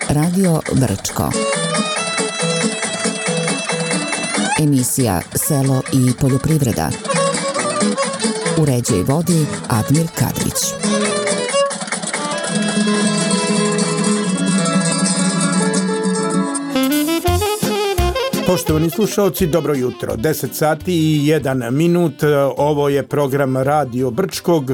Radio Brčko. Emisija Selo i poljoprivreda. Uređuje i vodi Admir Kadrić. Poštovani slušalci, dobro jutro. 10 sati i 1 minut. Ovo je program Radio Brčkog.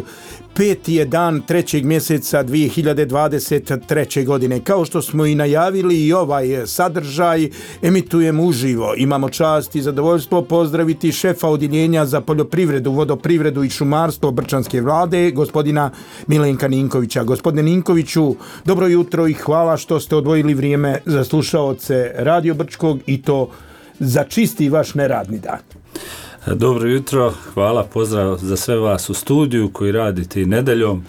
5. je dan 3. mjeseca 2023. godine. Kao što smo i najavili, i ovaj sadržaj emitujemo uživo. Imamo čast i zadovoljstvo pozdraviti šefa odjeljenja za poljoprivredu, vodoprivredu i šumarstvo Brčanske vlade, gospodina Milenka Ninkovića. Gospodine Ninkoviću, dobro jutro i hvala što ste odvojili vrijeme za slušaoce Radio Brčkog i to za čisti vaš neradni dan. Dobro jutro, hvala, pozdrav za sve vas u studiju koji radite i nedeljom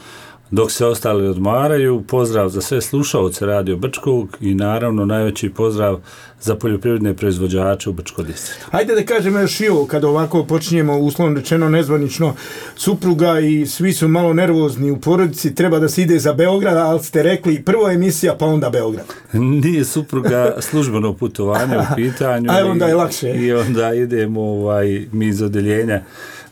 dok se ostali odmaraju, pozdrav za sve slušaoce Radio Brčkog i naravno najveći pozdrav za poljoprivredne proizvođače u Brčkom distriktu. Hajde da kažemo još i ovo, kada ovako počinjemo uslovno rečeno nezvanično, supruga i svi su malo nervozni u porodici, treba da se ide za Beograd, ali ste rekli prvo emisija pa onda Beograd. Nije supruga službeno putovanje u pitanju. A onda je lakše. I onda idemo mi iz odjeljenja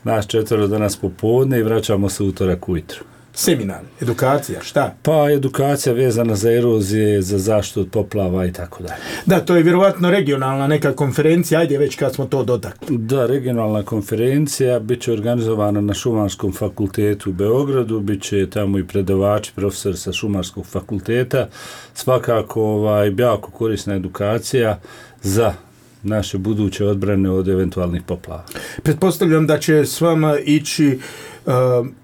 naš 4 danas popodne i vraćamo se utorak ujutro. Seminar, edukacija, šta? Pa edukacija vezana za erozije, za zaštitu od poplava i tako dalje. Da, to je vjerovatno regionalna neka konferencija, ajde već kad smo to dotakli. Da, regionalna konferencija bit će organizovana na Šumarskom fakultetu u Beogradu, bit će tamo i predavači, profesori sa Šumarskog fakulteta. Svakako jako korisna edukacija za naše buduće odbrane od eventualnih poplava. Pretpostavljam da će s vama ići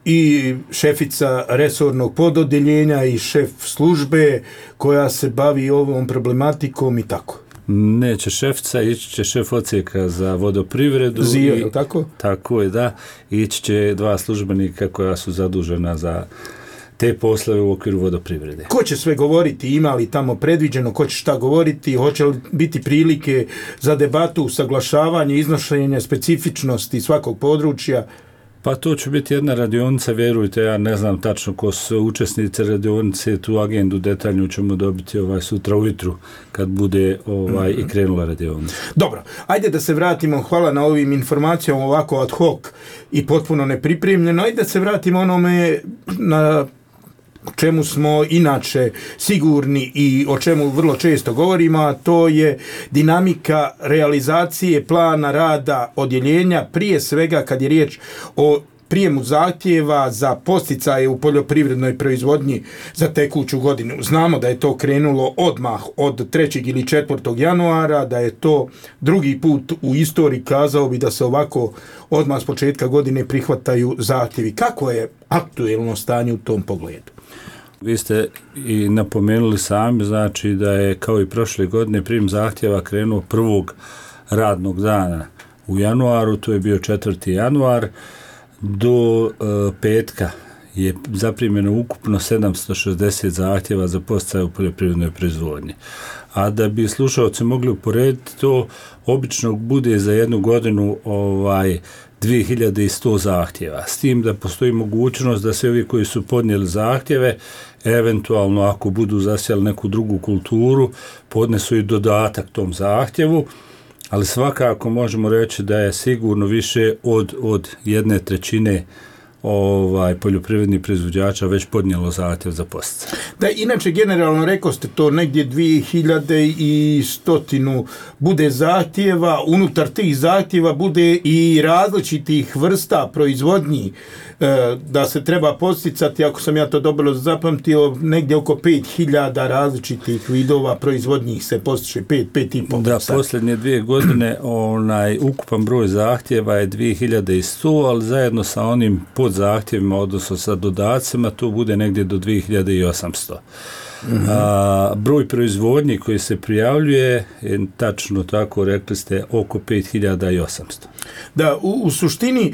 i šefica resornog pododjeljenja i šef službe koja se bavi ovom problematikom i tako. Neće šefica, ići će šef odsjeka za vodoprivredu. Zio, je tako? Tako je, da. Ići će 2 službenika koja su zadužena za te poslove u okviru vodoprivrede. Ko će sve govoriti, ima li tamo predviđeno, ko će šta govoriti, hoće li biti prilike za debatu, usaglašavanje, iznošenje specifičnosti svakog područja? Pa to će biti jedna radionica, vjerujte, ja ne znam tačno ko su učesnici radionice, tu agendu detaljnu ćemo dobiti sutra ujutru kad bude i krenula radionica. Dobro, ajde da se vratimo, hvala na ovim informacijama ovako ad hoc i potpuno nepripremljeno, ajde da se vratimo onome na čemu smo inače sigurni i o čemu vrlo često govorimo, a to je dinamika realizacije plana rada odjeljenja, prije svega kad je riječ o prijemu zahtjeva za podsticaje u poljoprivrednoj proizvodnji za tekuću godinu. Znamo da je to krenulo odmah od 3. ili 4. januara, da je to drugi put u istoriji, kazao bi da se ovako odmah s početka godine prihvataju zahtjevi. Kako je aktuelno stanje u tom pogledu? Vi ste i napomenuli sami, znači da je kao i prošle godine prijem zahtjeva krenuo 1. radnog dana u januaru, to je bio 4. januar, do petka je zaprimljeno ukupno 760 zahtjeva za podsticaje u poljoprivrednoj proizvodnji. A da bi slušalci mogli uporediti, to obično bude za jednu godinu 2100 zahtjeva. S tim da postoji mogućnost da se ovi koji su podnijeli zahtjeve, eventualno ako budu zasijali neku drugu kulturu, podnesu i dodatak tom zahtjevu, ali svakako možemo reći da je sigurno više od 1/3 poljoprivrednih proizvođača već podnijelo zahtjev za podsticaj. Da, inače generalno rekao ste to negdje 2100 bude zahtjeva, unutar tih zahtjeva bude i različitih vrsta proizvodnji da se treba podsticati, ako sam ja to dobro zapamtio, negdje oko 5000 različitih vidova proizvodnjih se postiče, 5,5. Da, posljednje 2 godine ukupan broj zahtjeva je 2100, ali zajedno sa onim podzahtjevima, odnosno sa dodacima, to bude negdje do 2800. Broj proizvodnji koji se prijavljuje je tačno tako, rekli ste, oko 5800. Da, u suštini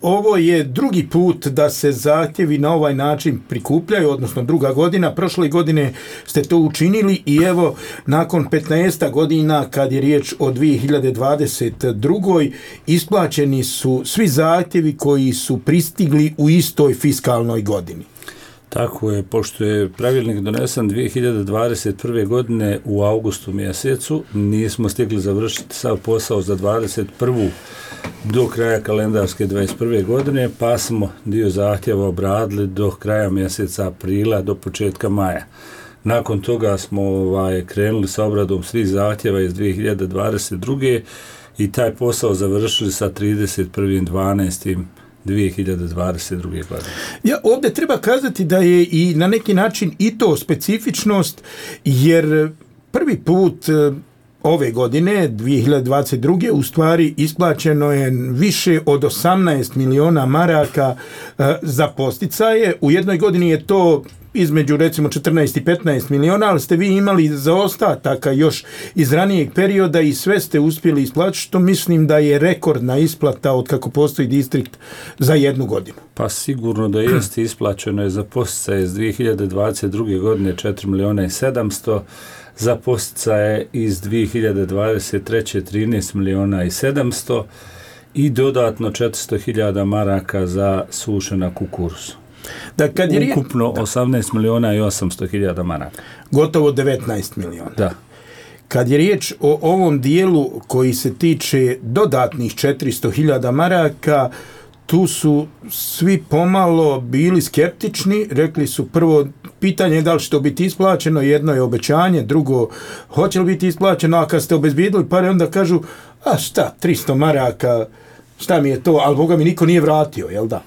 ovo je drugi put da se zahtjevi na ovaj način prikupljaju, odnosno druga godina. Prošle godine ste to učinili i evo nakon 15 godina kad je riječ o 2022. isplaćeni su svi zahtjevi koji su pristigli u istoj fiskalnoj godini. Tako je, pošto je pravilnik donesen 2021. godine u augustu mjesecu, nismo stigli završiti sav posao za 21. do kraja kalendarske 21. godine, pa smo dio zahtjeva obradili do kraja mjeseca aprila, do početka maja. Nakon toga smo krenuli sa obradom svih zahtjeva iz 2022. i taj posao završili sa 31.12.2022. godine. Ja, ovdje treba kazati da je i na neki način i to specifičnost, jer prvi put ove godine, 2022. u stvari isplaćeno je više od 18 miliona maraka za posticaje. U jednoj godini je to između recimo 14 i 15 miliona, ali ste vi imali zaostataka još iz ranijeg perioda i sve ste uspjeli isplatiti, što mislim da je rekordna isplata od kako postoji distrikt za jednu godinu. Pa sigurno da jeste, isplaćeno je za posticaje iz 2022. godine 4 miliona i 700, za posticaje iz 2023. 13 miliona i 700 i dodatno 400.000 maraka za sušena kukuruzu. Da, kad je ukupno 18 miliona i 800.000 maraka. Gotovo 19 miliona. Da. Kad je riječ o ovom dijelu koji se tiče dodatnih 400.000 maraka, tu su svi pomalo bili skeptični, rekli su prvo pitanje je da li će to biti isplaćeno, jedno je obećanje, drugo hoće li biti isplaćeno, a kad ste obezbijedili pare onda kažu, a šta, 300 maraka, šta mi je to, ali Boga mi niko nije vratio, jel da?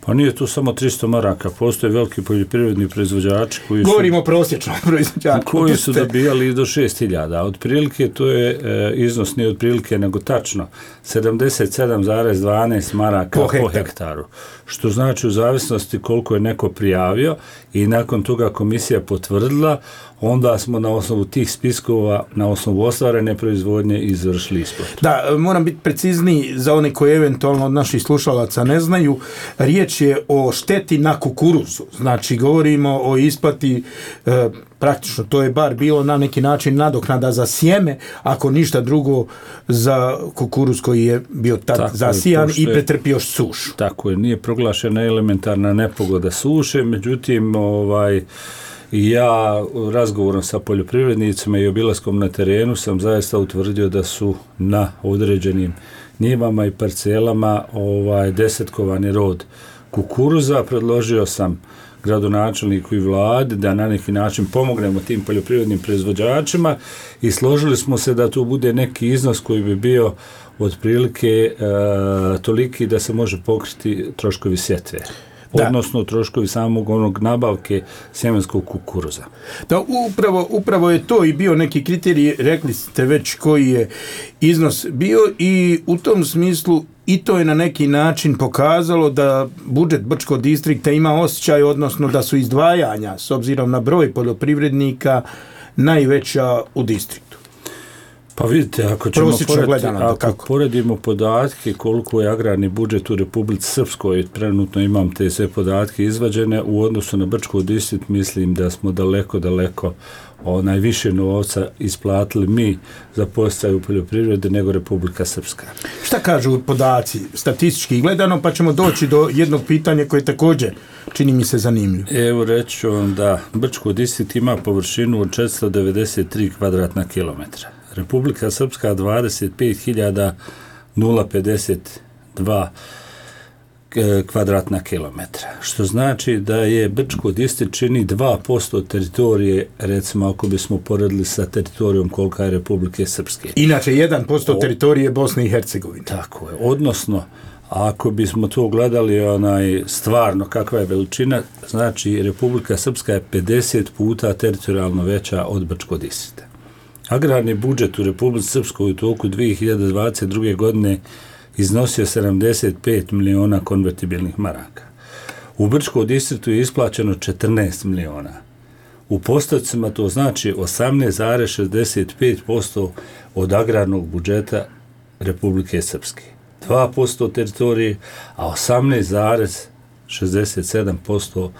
Pa nije tu samo 300 maraka, postoje veliki poljoprivredni proizvođači koji su... Govorimo o prosječnom proizvođaču. Koji su dobijali do 6.000. Otprilike to je iznos nije otprilike nego tačno 77,12 maraka po hektaru. Što znači u zavisnosti koliko je neko prijavio i nakon toga komisija potvrdila, onda smo na osnovu tih spiskova, na osnovu ostvarene proizvodnje izvršili isplatu. Da, moram biti precizniji za one koji eventualno od naših slušalaca ne znaju. Riječ je o šteti na kukuruzu. Znači, govorimo o isplati, praktično to je bar bilo na neki način nadoknada za sjeme, ako ništa drugo za kukuruz koji je bio tad zasijan i pretrpio sušu. Tako je, nije proglašena elementarna nepogoda suše, međutim, ja razgovorom sa poljoprivrednicima i obilaskom na terenu sam zaista utvrdio da su na određenim njivama i parcelama desetkovani rod kukuruza. Predložio sam gradonačelniku i vladi da na neki način pomognemo tim poljoprivrednim proizvođačima i složili smo se da tu bude neki iznos koji bi bio otprilike toliki da se može pokriti troškovi sjetve. Odnosno troškovi samog onog nabavke sjemenskog kukuruza. Da, upravo je to i bio neki kriterij, rekli ste već koji je iznos bio i u tom smislu i to je na neki način pokazalo da budžet Brčkog distrikta ima osjećaj, odnosno da su izdvajanja s obzirom na broj poljoprivrednika najveća u distriktu. Pa vidite, ako poredimo podatke koliko je agrarni budžet u Republici Srpskoj, trenutno imam te sve podatke izvađene, u odnosu na Brčko distrikt mislim da smo daleko najviše novca isplatili mi za podsticaj u poljoprivredi nego Republika Srpska. Šta kažu podaci statistički gledano, pa ćemo doći do jednog pitanja koje također čini mi se zanimljivo. Evo reći ću vam da Brčko distrikt ima površinu od 493 kvadratna kilometra. Republika Srpska 25.052 kvadratna kilometra. Što znači da je Brčko distrikt čini 2% teritorije, recimo ako bismo poredili sa teritorijom kolika je Republike Srpske. Inače 1% teritorije Bosne i Hercegovine. Tako je. Odnosno, ako bismo to gledali stvarno kakva je veličina, znači Republika Srpska je 50 puta teritorijalno veća od Brčkog distrikta. Agrarni budžet u Republici Srpskoj u toku 2022. godine iznosio 75 miliona konvertibilnih maraka. U Brčkom distriktu je isplaćeno 14 miliona. U postocima to znači 18,65% od agrarnog budžeta Republike Srpske. 2% teritorije, a 18,67%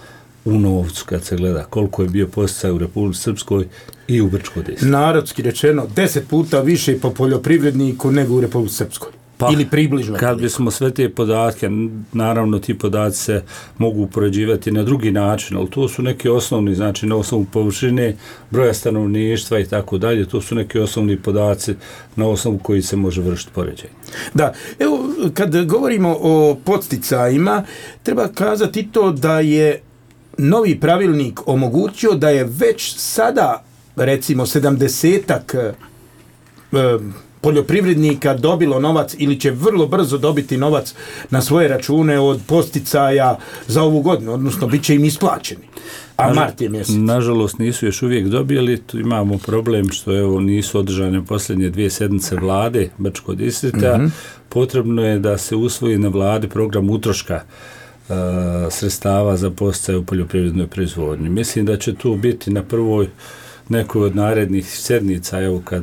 u novcu kad se gleda koliko je bio posticaj u Republici Srpskoj i u Brčkom distriktu. Narodski rečeno 10 puta više po poljoprivredniku nego u Republici Srpskoj. ili približno. Kad bismo sve te podatke, naravno ti podaci se mogu upoređivati na drugi način, ali to su neki osnovni, znači na osnovu površine, broja stanovništva i tako dalje, to su neki osnovni podaci na osnovu koji se može vršiti poređenje. Da, evo, kad govorimo o podsticajima, treba kazati to da je novi pravilnik omogućio da je već sada, recimo, 70-ak poljoprivrednika dobilo novac ili će vrlo brzo dobiti novac na svoje račune od podsticaja za ovu godinu, odnosno bit će im isplaćeni. A mart je mjesec. Nažalost nisu još uvijek dobili, tu imamo problem što evo nisu održane posljednje 2 sedmice vlade Brčkog distrikta. Potrebno je da se usvoji na vladi program utroška sredstava za podsticaje u poljoprivrednoj proizvodnji. Mislim da će tu biti na prvoj nekoj od narednih sedmica, evo kad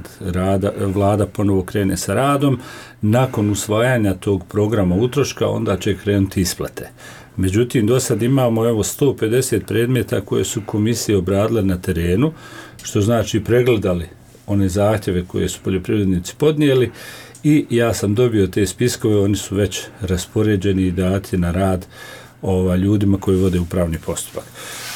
vlada ponovo krene sa radom, nakon usvajanja tog programa utroška, onda će krenuti isplate. Međutim, do sad imamo evo 150 predmeta koje su komisije obradile na terenu, što znači pregledali one zahtjeve koje su poljoprivrednici podnijeli i ja sam dobio te spiskove, oni su već raspoređeni i dati na rad ljudima koji vode upravni postupak.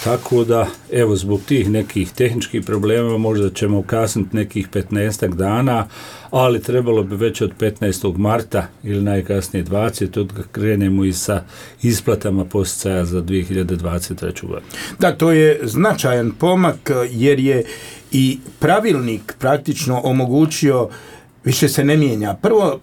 Tako da, evo, zbog tih nekih tehničkih problema možda ćemo kasniti nekih 15 dana, ali trebalo bi već od 15. marta ili najkasnije 20. da krenemo i sa isplatama podsticaja za 2023. godinu. Da, to je značajan pomak jer je i pravilnik praktično omogućio, više se ne mijenja. Prvo,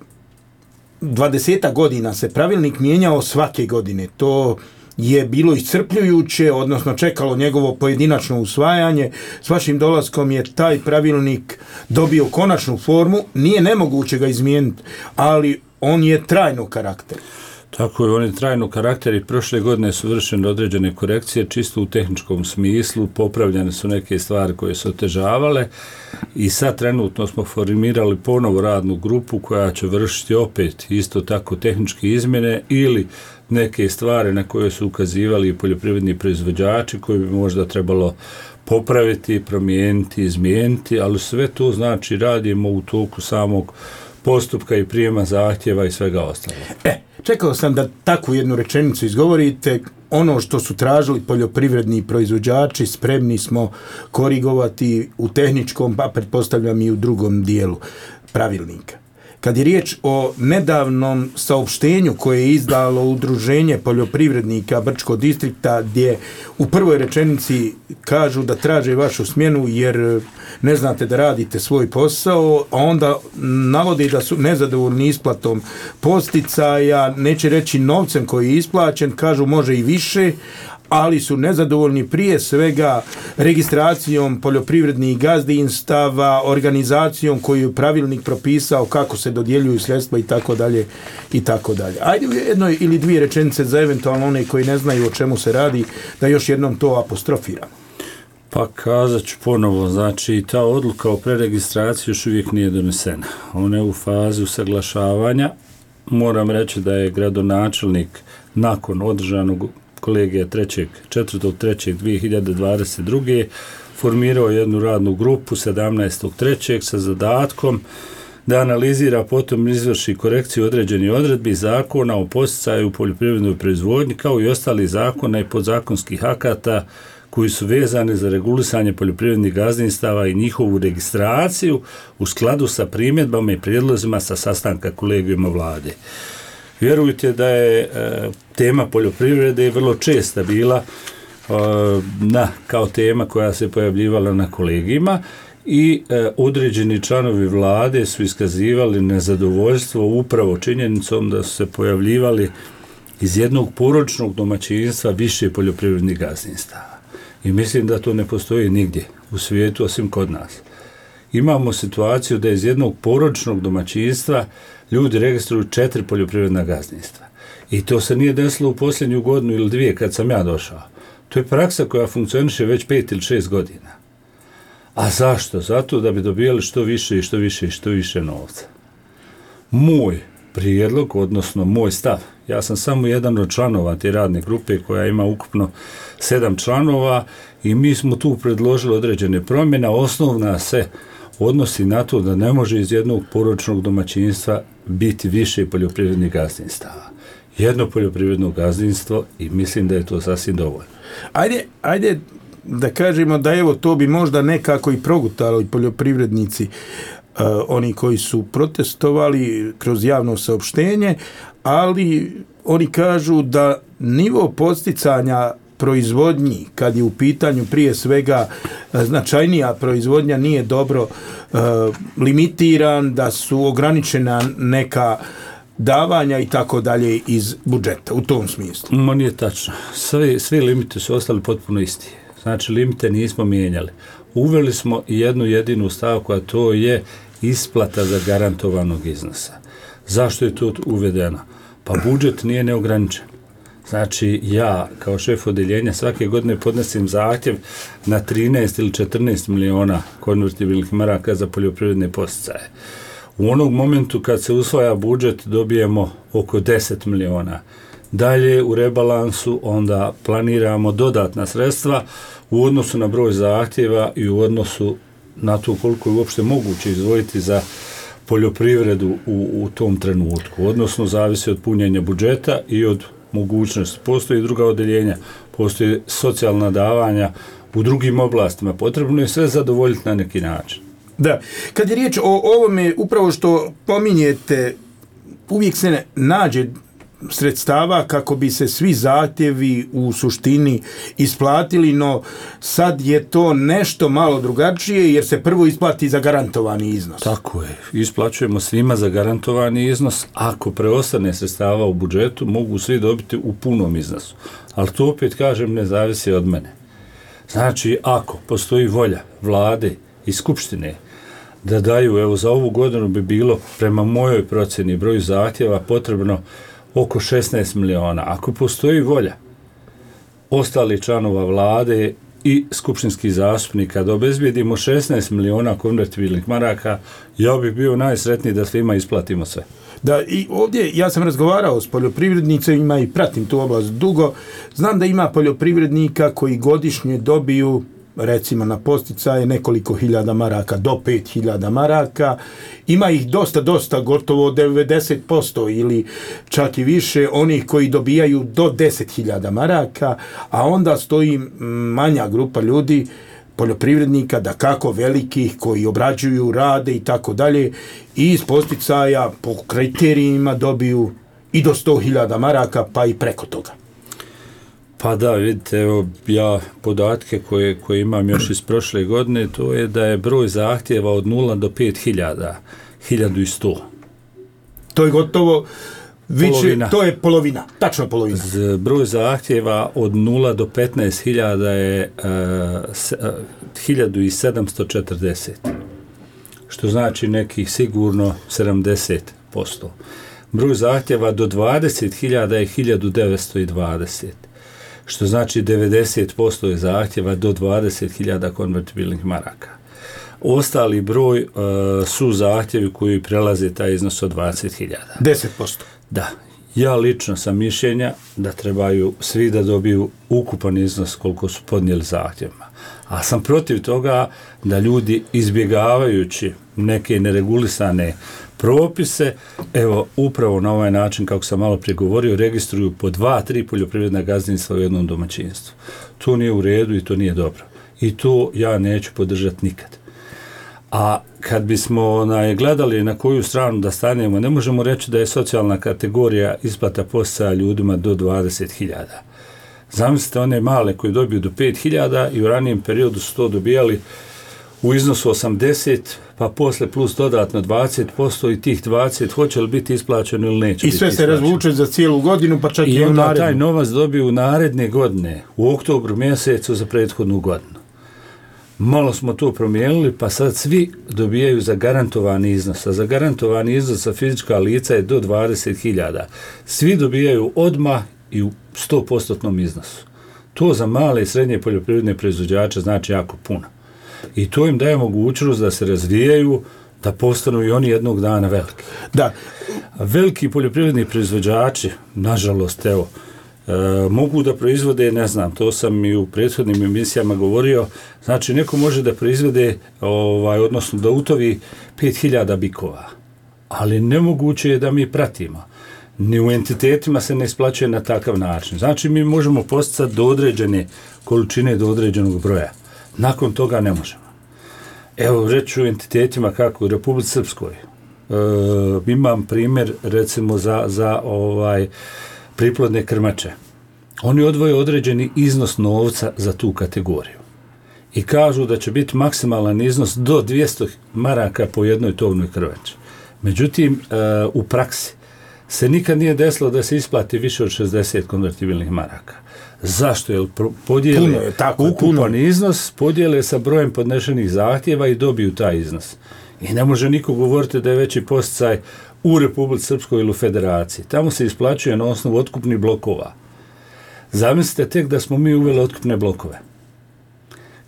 20 godina se pravilnik mijenjao svake godine. To je bilo iscrpljujuće, odnosno čekalo njegovo pojedinačno usvajanje. S vašim dolaskom je taj pravilnik dobio konačnu formu. Nije nemoguće ga izmijeniti, ali on je trajnog karaktera. Tako je, on je trajnog karaktera i prošle godine su vršene određene korekcije, čisto u tehničkom smislu, popravljene su neke stvari koje su otežavale i sad trenutno smo formirali ponovo radnu grupu koja će vršiti opet isto tako tehničke izmjene ili neke stvari na koje su ukazivali poljoprivredni proizvođači koji bi možda trebalo popraviti, promijeniti, izmijeniti, ali sve to znači radimo u toku samog postupka i prijema zahtjeva i svega ostalog. Čekao sam da takvu jednu rečenicu izgovorite. Ono što su tražili poljoprivredni proizvođači spremni smo korigovati u tehničkom, pa pretpostavljam i u drugom dijelu pravilnika. Kad je riječ o nedavnom saopštenju koje je izdalo Udruženje poljoprivrednika Brčkog distrikta, gdje u prvoj rečenici kažu da traže vašu smjenu jer ne znate da radite svoj posao, a onda navodi da su nezadovoljni isplatom podsticaja, neće reći novcem koji je isplaćen, kažu može i više, ali su nezadovoljni prije svega registracijom poljoprivrednih gazdinstava, organizacijom koju je pravilnik propisao kako se dodjeljuju sredstva i tako dalje i tako dalje. Ajde u jednoj ili dvije rečenice za eventualno one koji ne znaju o čemu se radi, da još jednom to apostrofiramo. Pa kazat ću ponovo, znači ta odluka o preregistraciji još uvijek nije donesena. Ona je u fazi usaglašavanja. Moram reći da je gradonačelnik nakon održanog kolegija 4.3.2022. formirao jednu radnu grupu 17.3. sa zadatkom da analizira, potom izvrši korekciju određenih odredbi zakona o podsticaju u poljoprivrednoj proizvodnji kao i ostali zakona i podzakonskih akata koji su vezani za regulisanje poljoprivrednih gazdinstava i njihovu registraciju u skladu sa primjedbama i prijedlozima sa sastanka kolegijuma vlade. Vjerujte da je tema poljoprivrede vrlo česta bila kao tema koja se pojavljivala na kolegijima i određeni članovi vlade su iskazivali nezadovoljstvo upravo činjenicom da su se pojavljivali iz jednog porodičnog domaćinstva više poljoprivrednih gazdinstava. I mislim da to ne postoji nigdje u svijetu osim kod nas. Imamo situaciju da iz jednog porodičnog domaćinstva ljudi registruju 4 poljoprivredna gazdinstva. I to se nije desilo u posljednju godinu ili 2 kad sam ja došao. To je praksa koja funkcioniše već 5 ili 6 godina. A zašto? Zato da bi dobijali što više novca. Moj prijedlog, odnosno moj stav, ja sam samo jedan od članova te radne grupe koja ima ukupno 7 članova i mi smo tu predložili određene promjene. odnosi na to da ne može iz jednog porodičnog domaćinstva biti više poljoprivrednih gazdinstava. Jedno poljoprivredno gazdinstvo i mislim da je to sasvim dovoljno. Ajde da kažemo da evo to bi možda nekako i progutalo i poljoprivrednici, oni koji su protestovali kroz javno saopštenje, ali oni kažu da nivo podsticanja proizvodnji, kad je u pitanju prije svega značajnija proizvodnja, nije dobro limitiran, da su ograničena neka davanja i tako dalje iz budžeta, u tom smislu. Nije tačno. Svi limiti su ostali potpuno isti. Znači, limite nismo mijenjali. Uveli smo jednu jedinu stavku, a to je isplata zagarantovanog iznosa. Zašto je to uvedeno? Pa budžet nije neograničen. Znači, ja kao šef odeljenja svake godine podnosim zahtjev na 13 ili 14 miliona konvertibilnih maraka za poljoprivredne podsticaje. U onog momentu kad se usvaja budžet dobijemo oko 10 miliona. Dalje u rebalansu onda planiramo dodatna sredstva u odnosu na broj zahtjeva i u odnosu na to koliko je uopšte moguće izdvojiti za poljoprivredu u tom trenutku. Odnosno, zavisi od punjenja budžeta i od mogućnosti. Postoji druga odeljenja, postoji socijalna davanja u drugim oblastima. Potrebno je sve zadovoljiti na neki način. Da, kad je riječ o ovome, upravo što pominjete, uvijek se nađe sredstava kako bi se svi zahtjevi u suštini isplatili, no sad je to nešto malo drugačije jer se prvo isplati za garantovani iznos. Tako je, isplaćujemo svima za garantovani iznos, ako preostane sredstava u budžetu mogu svi dobiti u punom iznosu, ali to opet kažem ne zavisi od mene. Znači, ako postoji volja vlade i skupštine da daju, evo za ovu godinu bi bilo prema mojoj procjeni broju zahtjeva potrebno oko 16 miliona. Ako postoji volja ostali članova vlade i skupštinskih zastupnika da obezbijedimo 16 miliona konvertibilnih maraka, ja bih bio najsretniji da svima isplatimo sve. Da, i ovdje ja sam razgovarao s poljoprivrednicima i pratim tu oblast dugo. Znam da ima poljoprivrednika koji godišnje dobiju, recimo na podsticaje, nekoliko hiljada maraka, do 5.000 maraka. Ima ih dosta, gotovo 90% ili čak i više onih koji dobijaju do 10.000 maraka, a onda stoji manja grupa ljudi, poljoprivrednika, da kako velikih, koji obrađuju, rade i tako dalje, i iz podsticaja po kriterijima dobiju i do 100.000 maraka, pa i preko toga. Pa da, vidite, evo ja podatke koje imam još iz prošle godine, to je da je broj zahtjeva od 0 do 5.000, 1.100. To je gotovo polovina. To je polovina, tačno polovina. Broj zahtjeva od 0 do 15.000 je 1.740, što znači nekih sigurno 70%. Broj zahtjeva do 20.000 je 1.920. Što znači 90% je zahtjeva do 20.000 konvertibilnih maraka. Ostali broj su zahtjevi koji prelaze taj iznos od 20.000. 10%. Da. Ja lično sam mišljenja da trebaju svi da dobiju ukupan iznos koliko su podnijeli zahtjevima. A sam protiv toga da ljudi izbjegavajući neke neregulisane propise, evo upravo na ovaj način kako sam malo prije govorio, registruju po 2-3 poljoprivredna gazdinstva u jednom domaćinstvu. To nije u redu i to nije dobro. I to ja neću podržati nikad. A kad bismo gledali na koju stranu da stanemo, ne možemo reći da je socijalna kategorija isplata podsticaja ljudima do 20.000. Zamislite one male koji dobiju do 5.000 i u ranijem periodu su to dobijali u iznosu 80, pa posle plus dodatno 20% i tih 20 hoće li biti isplaćeno ili neće. I sve se razvuče za cijelu godinu, pa čak i u narednu. Taj novac dobiju naredne godine, u oktobru mjesecu za prethodnu godinu. Malo smo to promijenili, pa sad svi dobijaju zagarantovani iznos. A zagarantovani iznos za fizička lica je do 20.000. Svi dobijaju odmah i u 100% iznosu. To za male i srednje poljoprivredne proizvođače znači jako puno. I to im daje mogućnost da se razvijaju, da postanu i oni jednog dana veliki. Da. Veliki poljoprivredni proizvođači, nažalost, evo, mogu da proizvode, ne znam, to sam i u prethodnim emisijama govorio, znači neko može da proizvode, odnosno da utovi 5000 bikova, ali nemoguće je da mi pratimo. Ni u entitetima se ne isplaćuje na takav način. Znači mi možemo posticati do određene količine, do određenog broja. Nakon toga ne možemo. Evo, reću u entitetima kako u Republici Srpskoj. Imam primjer recimo za priplodne krmače. Oni odvoje određeni iznos novca za tu kategoriju. I kažu da će biti maksimalan iznos do 200 maraka po jednoj tovnoj krmači. Međutim, u praksi se nikad nije desilo da se isplati više od 60 konvertibilnih maraka. Zašto? Jer podijele ukupan iznos, podijele sa brojem podnešenih zahtjeva i dobiju taj iznos. I ne može niko govoriti da je veći posticaj u Republici Srpskoj ili u Federaciji. Tamo se isplaćuje na osnovu otkupnih blokova. Zamislite tek da smo mi uveli otkupne blokove.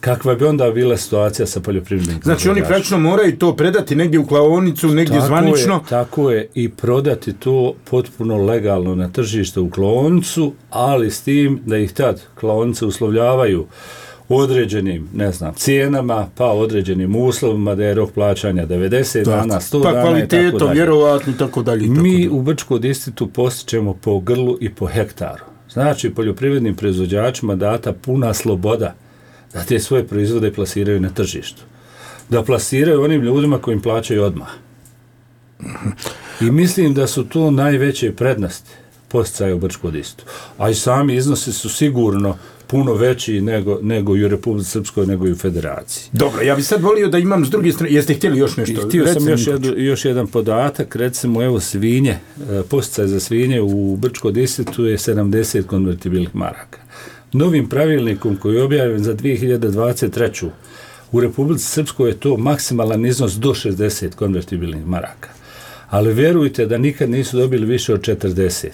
Kakva bi onda bila situacija sa poljoprivrednim? Znači oni praktično moraju to predati negdje u klaonicu, negdje zvanično. Tako je, i prodati to potpuno legalno na tržište u klaonicu, ali s tim da ih tad klaonice uslovljavaju određenim, ne znam, cijenama, pa određenim uslovima, da je rok plaćanja 90 dana, 100 dana, kvalitetom, vjerovatno i tako dalje. Mi u Brčkom distriktu postičemo po grlu i po hektaru. Znači, poljoprivrednim proizvođačima data puna sloboda da te svoje proizvode plasiraju na tržištu. Da plasiraju onim ljudima koji im plaćaju odmah. I mislim da su to najveće prednosti posticaja u Brčkom distriktu. A i sami iznosi su sigurno puno veći nego i u Republici Srpskoj, nego i u Federaciji. Dobro, ja bih sad volio da imam s druge strane, jeste htjeli još nešto? Htio sam još jedan podatak, recimo evo svinje, posticaj za svinje u Brčkom distriktu je 70 konvertibilnih maraka. Novim pravilnikom koji je objavljen za 2023. u Republici Srpskoj je to maksimalan iznos do 60 konvertibilnih maraka. Ali vjerujte da nikad nisu dobili više od 40.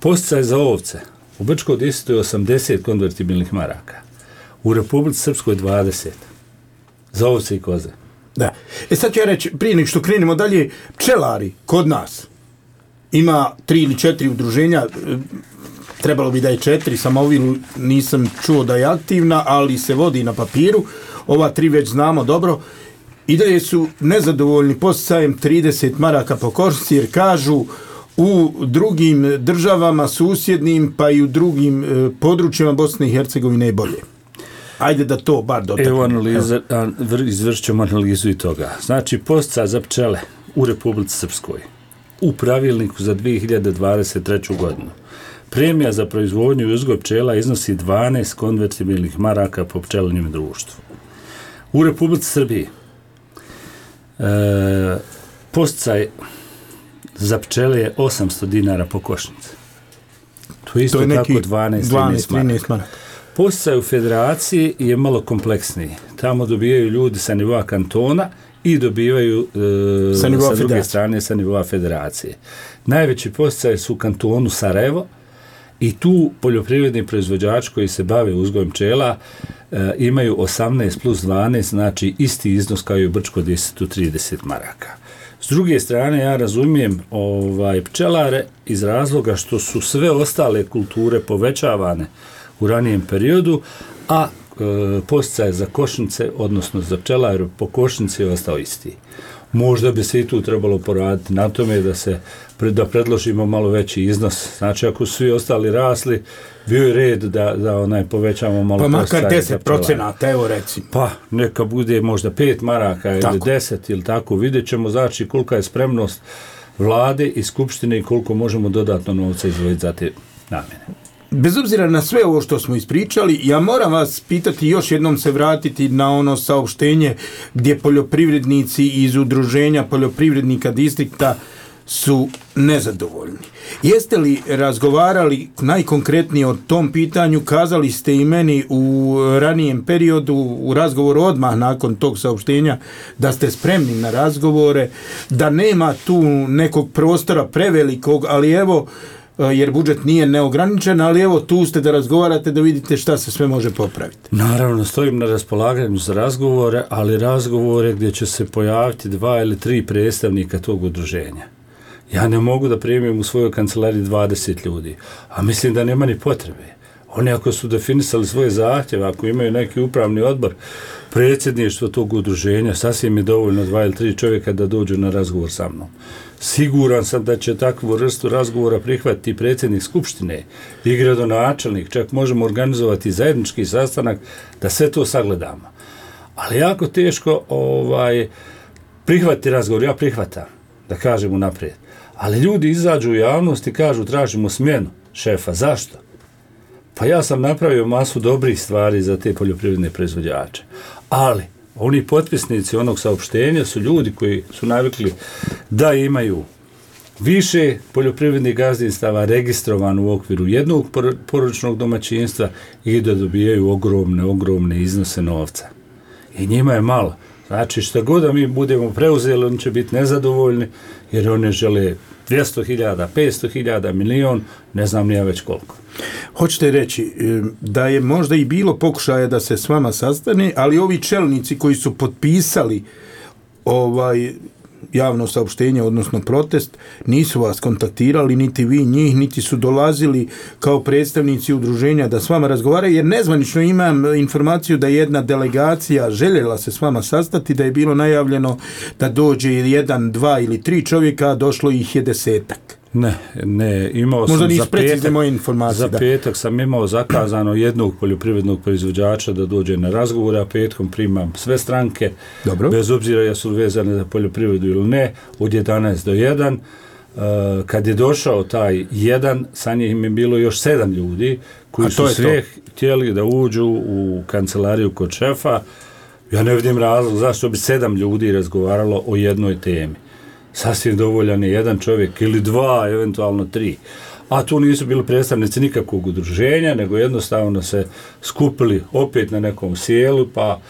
Posticaj za ovce u Brčkom distriktu je 80 konvertibilnih maraka. U Republici Srpskoj 20. Za ovce i koze. Da. Sad ću ja reći, prije nek što krenemo dalje, pčelari kod nas ima 3 ili 4 udruženja, trebalo bi da je 4, samo ovi nisam čuo da je aktivna, ali se vodi na papiru. Ova 3 već znamo dobro. I dalje su nezadovoljni posticajem 30 maraka po košnici, jer kažu u drugim državama susjednim, pa i u drugim područjima Bosne i Hercegovine je bolje. Ajde da to bar dotaknemo. Evo izvršit ćemo analizu i toga. Znači, posticaj za pčele u Republici Srpskoj u pravilniku za 2023. godinu. Premija za proizvodnju i uzgoj pčela iznosi 12 konvertibilnih maraka po pčelnim društvu. U Republici Srbiji posticaj za pčele je 800 dinara po košnici. To je isto tako 12-13 maraka. Posticaj u Federaciji je malo kompleksniji. Tamo dobijaju ljudi sa nivoa kantona i dobivaju sa druge strane sa nivoa Federacije. Najveći posticaj su u kantonu Sarajevo i tu poljoprivredni proizvođači koji se bave uzgojem pčela imaju 18 plus 12, znači isti iznos kao i u Brčkom distriktu 30 maraka. S druge strane, ja razumijem pčelare iz razloga što su sve ostale kulture povećavane u ranijem periodu, a posticaj za košnice, odnosno za pčelare po košnici je ostao isti. Možda bi se i tu trebalo poraditi na tome da predložimo malo veći iznos. Znači, ako su svi ostali rasli, bio je red da povećamo malo posticaj. Pa makar 10%, evo recimo. Pa, neka bude možda 5 maraka ili 10 ili tako. Vidjet ćemo, znači, kolika je spremnost vlade i skupštine i koliko možemo dodatno novca izdvojiti za te namjene. Bez obzira na sve ovo što smo ispričali, ja moram vas pitati, još jednom se vratiti na ono saopštenje gdje poljoprivrednici iz udruženja poljoprivrednika distrikta su nezadovoljni. Jeste li razgovarali najkonkretnije o tom pitanju? Kazali ste i meni u ranijem periodu, u razgovoru odmah nakon tog saopštenja, da ste spremni na razgovore, da nema tu nekog prostora prevelikog, ali evo, jer budžet nije neograničen, ali evo tu ste da razgovarate, da vidite šta se sve može popraviti. Naravno, stojim na raspolaganju za razgovore, ali razgovore gdje će se pojaviti 2 ili 3 predstavnika tog udruženja. Ja ne mogu da primim u svojoj kancelariji 20 ljudi, a mislim da nema ni potrebe. Oni ako su definisali svoje zahtjeve, ako imaju neki upravni odbor, predsjedništvo tog udruženja, sasvim je dovoljno 2 ili 3 čovjeka da dođu na razgovor sa mnom. Siguran sam da će takvu vrstu razgovora prihvatiti predsjednik skupštine i gradonačelnik, čak možemo organizovati zajednički sastanak da sve to sagledamo. Ali jako teško prihvatiti razgovor, ja prihvatam, da kažem unaprijed. Ali ljudi izađu u javnost i kažu tražimo smjenu šefa. Zašto? Pa ja sam napravio masu dobrih stvari za te poljoprivredne proizvođače. Ali oni potpisnici onog saopštenja su ljudi koji su navikli da imaju više poljoprivrednih gazdinstava registrovano u okviru jednog porodičnog domaćinstva i da dobijaju ogromne iznose novca. I njima je malo. Znači što god da mi budemo preuzeli, oni će biti nezadovoljni jer oni žele 200.000, 500.000, milion, ne znam ni ja već koliko. Hoćete reći da je možda i bilo pokušaja da se s vama sastane, ali ovi čelnici koji su potpisali javno saopštenje, odnosno protest, nisu vas kontaktirali, niti vi njih, niti su dolazili kao predstavnici udruženja da s vama razgovaraju, jer nezvanično imam informaciju da jedna delegacija željela se s vama sastati, da je bilo najavljeno da dođe 1, 2 ili 3 čovjeka, a došlo ih je 10-ak. Ne, imao možda sam za petak sam imao zakazano jednog poljoprivrednog proizvođača da dođe na razgovor, a petkom primam sve stranke, dobro, bez obzira jesu vezane za poljoprivredu ili ne, od 11 do 1. Kad je došao taj 1, sa njim je bilo još 7 ljudi koji su sve htjeli da uđu u kancelariju kod šefa. Ja ne vidim razlog zašto bi 7 ljudi razgovaralo o jednoj temi. Sasvim dovoljan je 1 čovjek ili 2, eventualno 3. A tu nisu bili predstavnici nikakvog udruženja, nego jednostavno se skupili opet na nekom sjelu, pa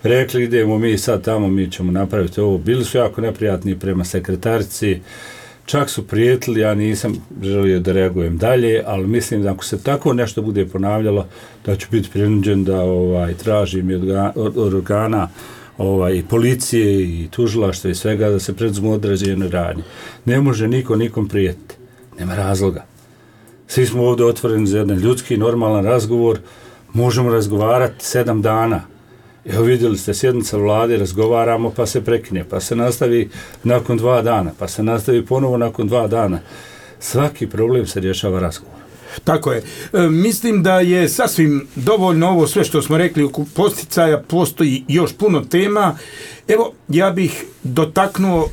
rekli idemo mi sad tamo, mi ćemo napraviti ovo. Bili su jako neprijatni prema sekretarici, čak su prijetili, ja nisam želio da reagujem dalje, ali mislim da ako se tako nešto bude ponavljalo, da ću biti prinuđen da tražim od organa i policije i tužilaštva i svega da se predzmu određene radnje. Ne može niko nikom prijetiti. Nema razloga. Svi smo ovdje otvoreni za jedan ljudski, normalan razgovor. Možemo razgovarati 7 dana. Evo vidjeli ste, sjednica vlade, razgovaramo pa se prekine, pa se nastavi nakon 2 dana, pa se nastavi ponovo nakon 2 dana. Svaki problem se rješava razgovor. Tako je. Mislim da je sasvim dovoljno ovo sve što smo rekli oko posticaja, postoji još puno tema. Evo, ja bih dotaknuo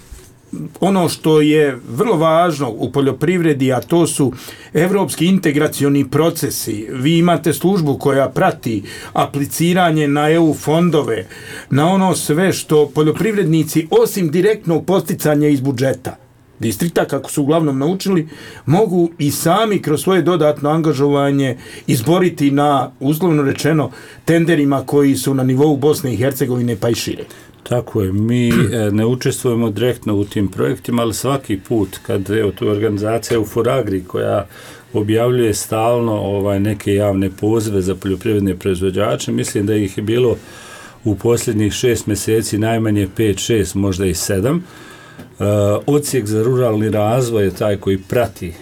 ono što je vrlo važno u poljoprivredi, a to su evropski integracioni procesi. Vi imate službu koja prati apliciranje na EU fondove, na ono sve što poljoprivrednici, osim direktnog posticanja iz budžeta distrikta, kako su uglavnom naučili, mogu i sami kroz svoje dodatno angažovanje izboriti na, uslovno rečeno, tenderima koji su na nivou Bosne i Hercegovine pa i šire. Tako je, mi ne učestvujemo direktno u tim projektima, ali svaki put kad tu organizacija Euforagri koja objavljuje stalno neke javne pozive za poljoprivredne proizvođače, mislim da ih je bilo u posljednjih 6 mjeseci najmanje 5, 6, možda i 7. Odsjek za ruralni razvoj je taj koji prati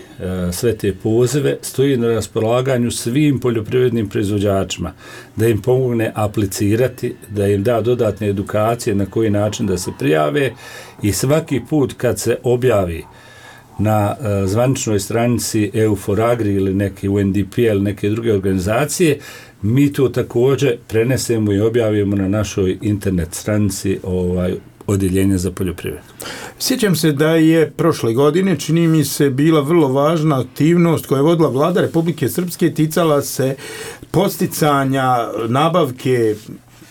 sve te pozive, stoji na raspolaganju svim poljoprivrednim proizvođačima da im pomogne aplicirati, da im da dodatne edukacije na koji način da se prijave i svaki put kad se objavi na zvaničnoj stranici Euforagri ili neki UNDP ili neke druge organizacije, mi to također prenesemo i objavimo na našoj internet stranici odjeljenja za poljoprivredu. Sjećam se da je prošle godine, čini mi se, bila vrlo važna aktivnost koja je vodila vlada Republike Srpske, ticala se podsticanja nabavke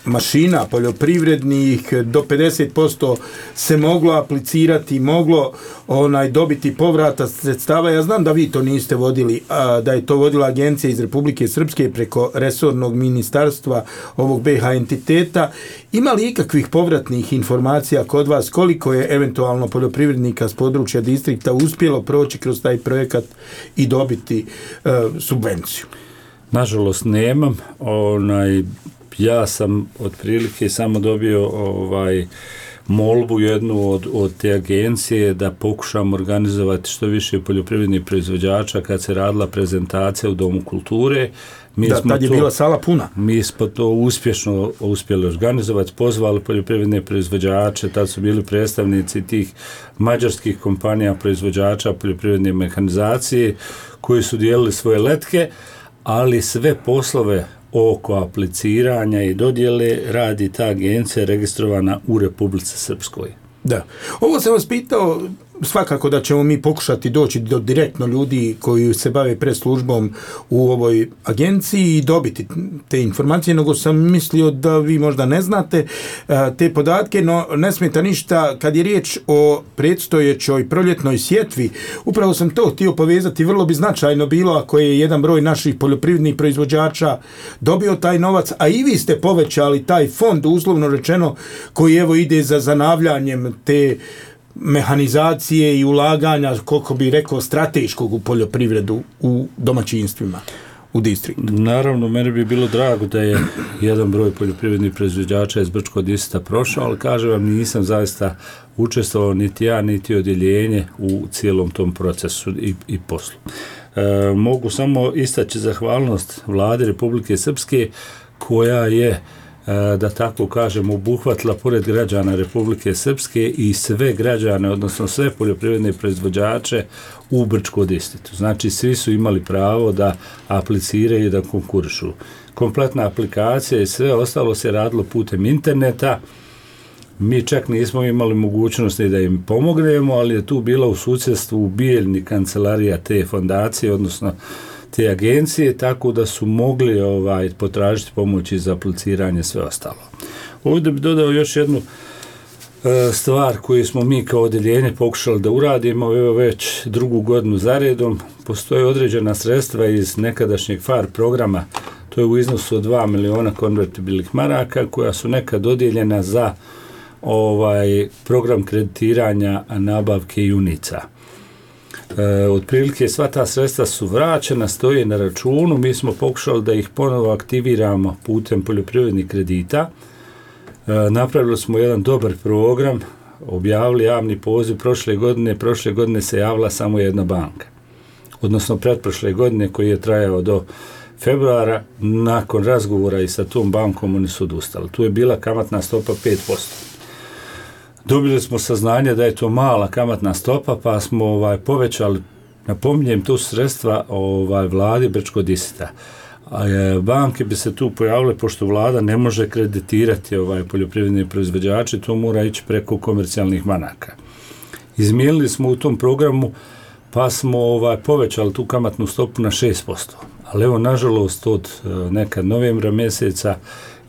mašina poljoprivrednih, do 50% se moglo aplicirati, moglo dobiti povrata sredstava. Ja znam da vi to niste vodili, da je to vodila agencija iz Republike Srpske preko resornog ministarstva ovog BiH entiteta. Ima li ikakvih povratnih informacija kod vas koliko je eventualno poljoprivrednika s područja distrikta uspjelo proći kroz taj projekat i dobiti subvenciju? Nažalost nemam. Ja sam otprilike samo dobio molbu jednu od te agencije da pokušamo organizovati što više poljoprivrednih proizvođača kad se radila prezentacija u Domu kulture. Tad je bila sala puna. Mi smo to uspješno uspjeli organizovati, pozvali poljoprivredne proizvođače, tad su bili predstavnici tih mađarskih kompanija proizvođača poljoprivredne mehanizacije koji su dijelili svoje letke, ali sve poslove oko apliciranja i dodjele radi ta agencija registrovana u Republici Srpskoj. Da. Ovo sam vas pitao, svakako da ćemo mi pokušati doći do direktno ljudi koji se bave preslužbom u ovoj agenciji i dobiti te informacije, nego sam mislio da vi možda ne znate te podatke, no ne smeta ništa kad je riječ o predstojećoj proljetnoj sjetvi. Upravo sam to htio povezati, vrlo bi značajno bilo ako je jedan broj naših poljoprivrednih proizvođača dobio taj novac, a i vi ste povećali taj fond, uslovno rečeno, koji evo ide za zanavljanjem te mehanizacije i ulaganja, koliko bi rekao, strateškog u poljoprivredu u domaćinstvima u distriktu. Naravno, meni bi bilo drago da je jedan broj poljoprivrednih proizvođača iz Brčkog distrikta prošao, ali kažem vam, nisam zaista učestvovao niti ja, niti odjeljenje u cijelom tom procesu i poslu. Mogu samo istaći zahvalnost Vlade Republike Srpske koja je, da tako kažem, obuhvatila pored građana Republike Srpske i sve građane, odnosno sve poljoprivredne proizvođače u Brčkom distriktu. Znači, svi su imali pravo da apliciraju i da konkurišu. Kompletna aplikacija i sve ostalo se radilo putem interneta. Mi čak nismo imali mogućnosti da im pomognemo, ali je tu bila u susjedstvu Bijeljni kancelarija te fondacije, odnosno te agencije, tako da su mogli potražiti pomoći za apliciranje sve ostalo. Ovdje bi dodao još jednu stvar koju smo mi kao odjeljenje pokušali da uradimo, evo već drugu godinu za redom. Postoje određena sredstva iz nekadašnjeg FAR programa, to je u iznosu od 2 miliona konvertibilnih maraka, koja su nekad dodijeljena za program kreditiranja nabavke junica. Otprilike sva ta sredstva su vraćena, stoje na računu, mi smo pokušali da ih ponovo aktiviramo putem poljoprivrednih kredita. Napravili smo jedan dobar program, objavili javni poziv prošle godine se javila samo jedna banka. Odnosno pretprošle godine koji je trajao do februara, nakon razgovora i sa tom bankom oni su odustali. Tu je bila kamatna stopa 5%. Dobili smo saznanje da je to mala kamatna stopa, pa smo povećali, napominjem, tu sredstva vladi Brčkog distrikta. Banke bi se tu pojavile, pošto vlada ne može kreditirati poljoprivredne proizvođače, to mora ići preko komercijalnih banaka. Izmijenili smo u tom programu, pa smo povećali tu kamatnu stopu na 6%. Ali evo, nažalost, od nekad novembra mjeseca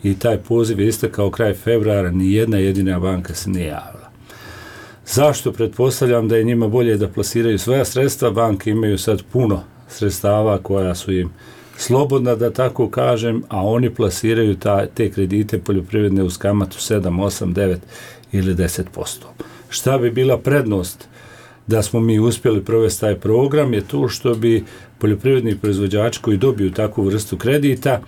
i taj poziv je istekao kraj februara, ni jedna jedina banka se nije javila. Zašto? Pretpostavljam da je njima bolje da plasiraju svoja sredstva. Banke imaju sad puno sredstava koja su im slobodna, da tako kažem, a oni plasiraju te kredite poljoprivredne uz kamatu 7, 8, 9 ili 10%. Šta bi bila prednost da smo mi uspjeli provesti taj program je to što bi poljoprivredni proizvođači koji dobiju takvu vrstu kredita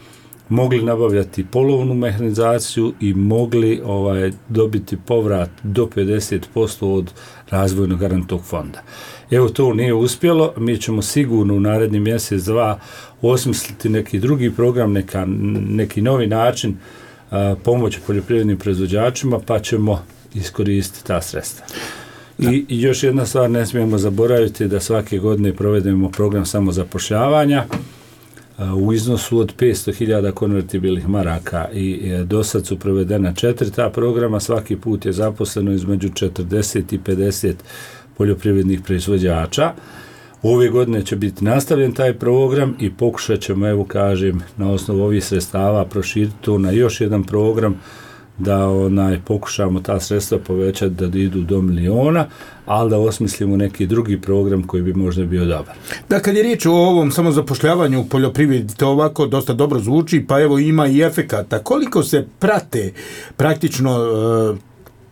mogli nabavljati polovnu mehanizaciju i mogli dobiti povrat do 50% od razvojnog garantnog fonda. Evo, to nije uspjelo, mi ćemo sigurno u naredni mjesec, dva osmisliti neki drugi program, neki novi način pomoći poljoprivrednim proizvođačima, pa ćemo iskoristiti ta sredstva. I još jedna stvar, ne smijemo zaboraviti da svake godine provedemo program samozapošljavanja u iznosu od 500.000 konvertibilnih maraka i do sad su provedena 4 ta programa, svaki put je zaposleno između 40 i 50 poljoprivrednih proizvođača. Ove godine će biti nastavljen taj program i pokušat ćemo, evo kažem, na osnovu ovih sredstava proširiti to na još jedan program, da pokušamo ta sredstva povećati da idu do 1 miliona, ali da osmislimo neki drugi program koji bi možda bio dobar. Da, kad je riječ o ovom samozapošljavanju u poljoprivredi, to ovako dosta dobro zvuči, pa evo ima i efekata. Koliko se prate praktično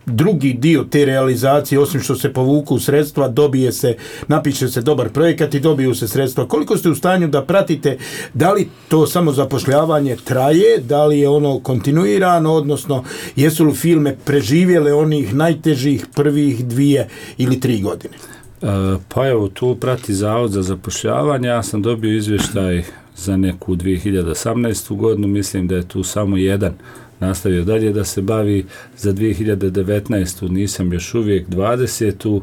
drugi dio te realizacije, osim što se povuku sredstva, dobije se, napiše se dobar projekat i dobiju se sredstva. Koliko ste u stanju da pratite, da li to samozapošljavanje traje, da li je ono kontinuirano, odnosno jesu li firme preživjele onih najtežih prvih 2 ili 3 godine? Pa evo, tu prati Zavod za zapošljavanje. Ja sam dobio izvještaj za neku 2018. godinu, mislim da je tu samo jedan nastavio dalje da se bavi. Za 2019. nisam još uvijek 20.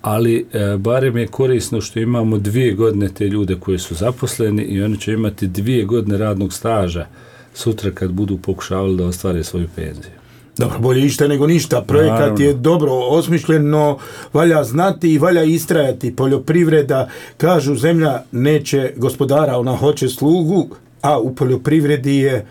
Ali barem je korisno što imamo 2 godine te ljude koji su zaposleni i oni će imati 2 godine radnog staža sutra kad budu pokušavali da ostvare svoju penziju. Dobro, bolje išta nego ništa. Projekat Naravno. Je dobro osmišljen, no valja znati i valja istrajati. Poljoprivreda, kažu, zemlja neće gospodara, ona hoće slugu, a u poljoprivredi je,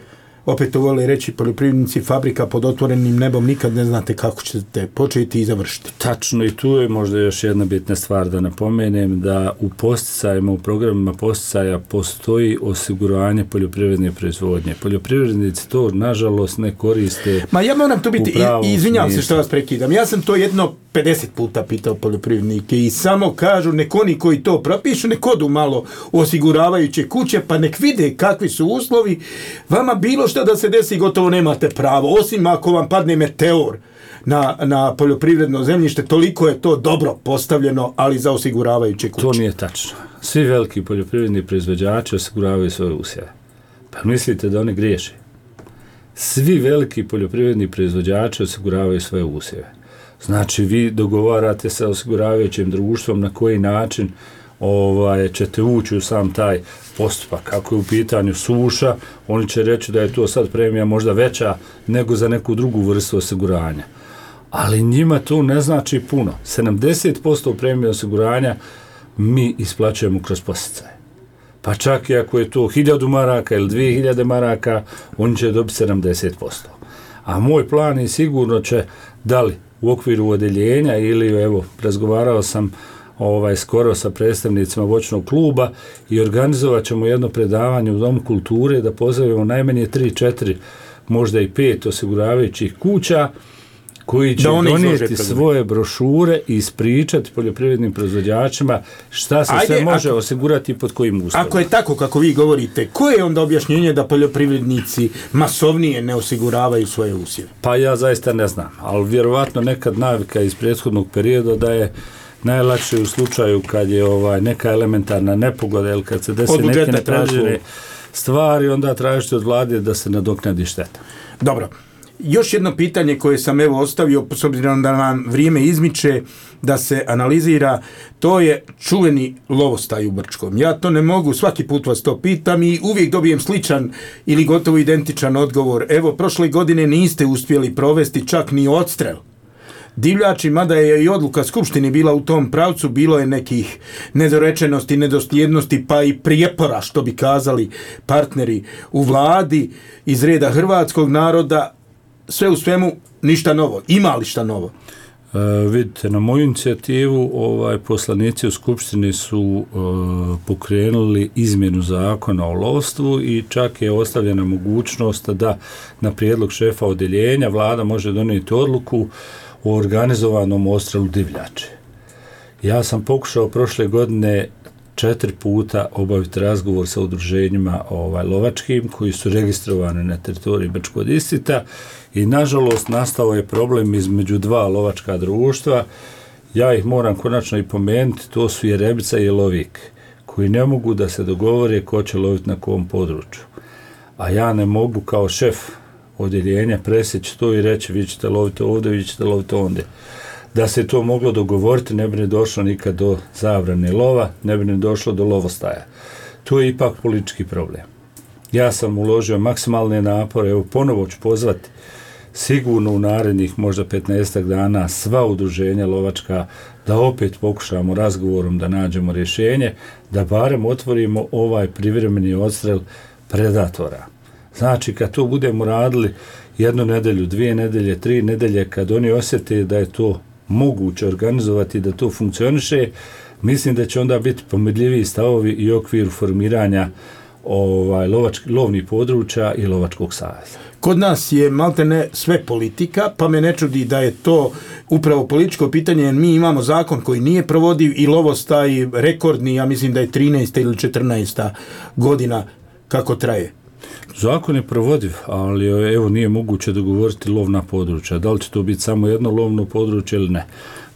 opet to vole reći poljoprivrednici, fabrika pod otvorenim nebom, nikad ne znate kako ćete početi i završiti. Tačno, i tu je možda još jedna bitna stvar da napomenem, da u posticajima, u programima posticaja postoji osiguranje poljoprivredne proizvodnje. Poljoprivrednici to nažalost ne koriste. Ma ja moram tu biti, izvinjavam se što vas prekidam, ja sam to jedno 50 puta pitao poljoprivrednike i samo kažu nek oni koji to propišu, nek odu malo u osiguravajuće kuće, pa nek vide kakvi su uslovi. Vama bilo što da se desi, gotovo nemate pravo, osim ako vam padne meteor na poljoprivredno zemljište, toliko je to dobro postavljeno, ali za osiguravajuće kuće. To nije tačno. Svi veliki poljoprivredni proizvođači osiguravaju svoje usjeve. Pa mislite da oni griješe? Svi veliki poljoprivredni proizvođači osiguravaju svoje usjeve. Znači, vi dogovarate sa osiguravajućim društvom na koji način ćete ući u sam taj postupak. Ako je u pitanju suša, oni će reći da je to sad premija možda veća nego za neku drugu vrstu osiguranja. Ali njima to ne znači puno. 70% premije osiguranja mi isplaćujemo kroz posticaje. Pa čak i ako je to 1000 maraka ili 2000 maraka, oni će dobiti 70%. A moj plan je sigurno će, da li u okviru odeljenja ili, evo, razgovarao sam skoro sa predstavnicima voćnog kluba i organizovat ćemo jedno predavanje u Domu kulture da pozovemo najmanje 3-4, možda i 5 osiguravajućih kuća koji će donijeti svoje brošure i ispričati poljoprivrednim proizvođačima šta se sve može osigurati pod kojim uslovima. Ako je tako kako vi govorite, koje je onda objašnjenje da poljoprivrednici masovnije ne osiguravaju svoje usjeve? Pa ja zaista ne znam, ali vjerovatno nekad navika iz prethodnog perioda da je najlakše u slučaju kad je neka elementarna nepogoda ili kad se desi neke nepredviđene stvari, onda tražite od vlade da se nadoknadi šteta. Dobro. Još jedno pitanje koje sam ostavio, s obzirom da nam vrijeme izmiče, da se analizira, to je čuveni lovostaj u Brčkom. Ja to ne mogu, svaki put vas to pitam i uvijek dobijem sličan ili gotovo identičan odgovor. Evo, prošle godine niste uspjeli provesti čak ni odstrel divljači, mada je i odluka Skupštine bila u tom pravcu, bilo je nekih nedorečenosti, nedosljednosti, pa i prijepora, što bi kazali partneri u vladi iz reda hrvatskog naroda. Sve u svemu ništa novo. Ima li šta novo? Vidite, na moju inicijativu poslanici u Skupštini su pokrenuli izmjenu zakona o lovstvu i čak je ostavljena mogućnost da na prijedlog šefa odeljenja vlada može donijeti odluku o organizovanom odstrelu divljači. Ja sam pokušao prošle godine 4 puta obaviti razgovor sa udruženjima lovačkim koji su registrovani na teritoriji Brčkog distrikta i nažalost nastao je problem između 2 lovačka društva. Ja ih moram konačno i pomenuti, to su Jerebica i Lovik, koji ne mogu da se dogovore ko će loviti na kom području. A ja ne mogu kao šef odjeljenja presjeći to i reći vi ćete loviti ovdje, vi ćete loviti ondje. Da se to moglo dogovoriti, ne bi ne došlo nikad do zabrane lova, ne bi ne došlo do lovostaja. To je ipak politički problem. Ja sam uložio maksimalne napore, evo ponovo ću pozvati sigurno u narednih možda 15 dana sva udruženja lovačka da opet pokušamo razgovorom da nađemo rješenje, da barem otvorimo ovaj privremeni odstrel predatora. Znači, kad to budemo radili 1 nedelju, 2 nedelje, 3 nedelje, kad oni osjete da je to moguće organizovati, da to funkcioniše, mislim da će onda biti pomirljiviji stavovi i okvir formiranja lovnih područja i lovačkog saveza. kod nas je maltene sve politika, pa me ne čudi da je to upravo političko pitanje, jer mi imamo zakon koji nije provodiv i lovostaj rekordni, ja mislim da je 13. ili 14. godina kako traje. Zakon je provodiv, ali evo nije moguće dogovoriti lovna područja. Da li će to biti samo jedno lovno područje ili ne?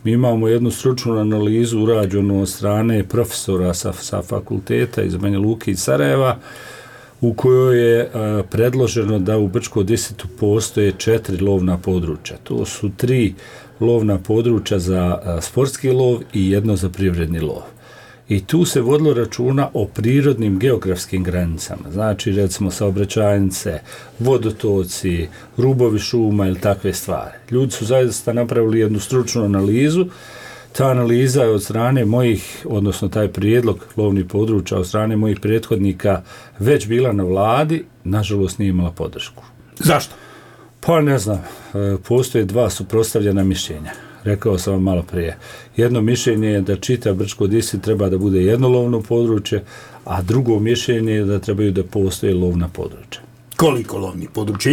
Mi imamo jednu stručnu analizu urađenu od strane profesora sa fakulteta iz Banja Luke i Sarajeva, u kojoj je predloženo da u Brčkom distriktu postoje 4 lovna područja. To su 3 lovna područja za sportski lov i jedno za privredni lov. I tu se vodilo računa o prirodnim geografskim granicama, znači recimo saobraćajnice, vodotoci, rubovi šuma ili takve stvari. Ljudi su zaista napravili jednu stručnu analizu. Ta analiza je od strane mojih, odnosno taj prijedlog lovnih područja od strane mojih prethodnika već bila na vladi, nažalost nije imala podršku. Zašto? Pa ne znam, postoje 2 suprotstavljena mišljenja. Rekao sam vam malo prije. Jedno mišljenje je da čitav Brčko distrikt treba da bude jedno lovno područje, a drugo mišljenje je da trebaju da postoje lovna područja. Koliko lovnih područja?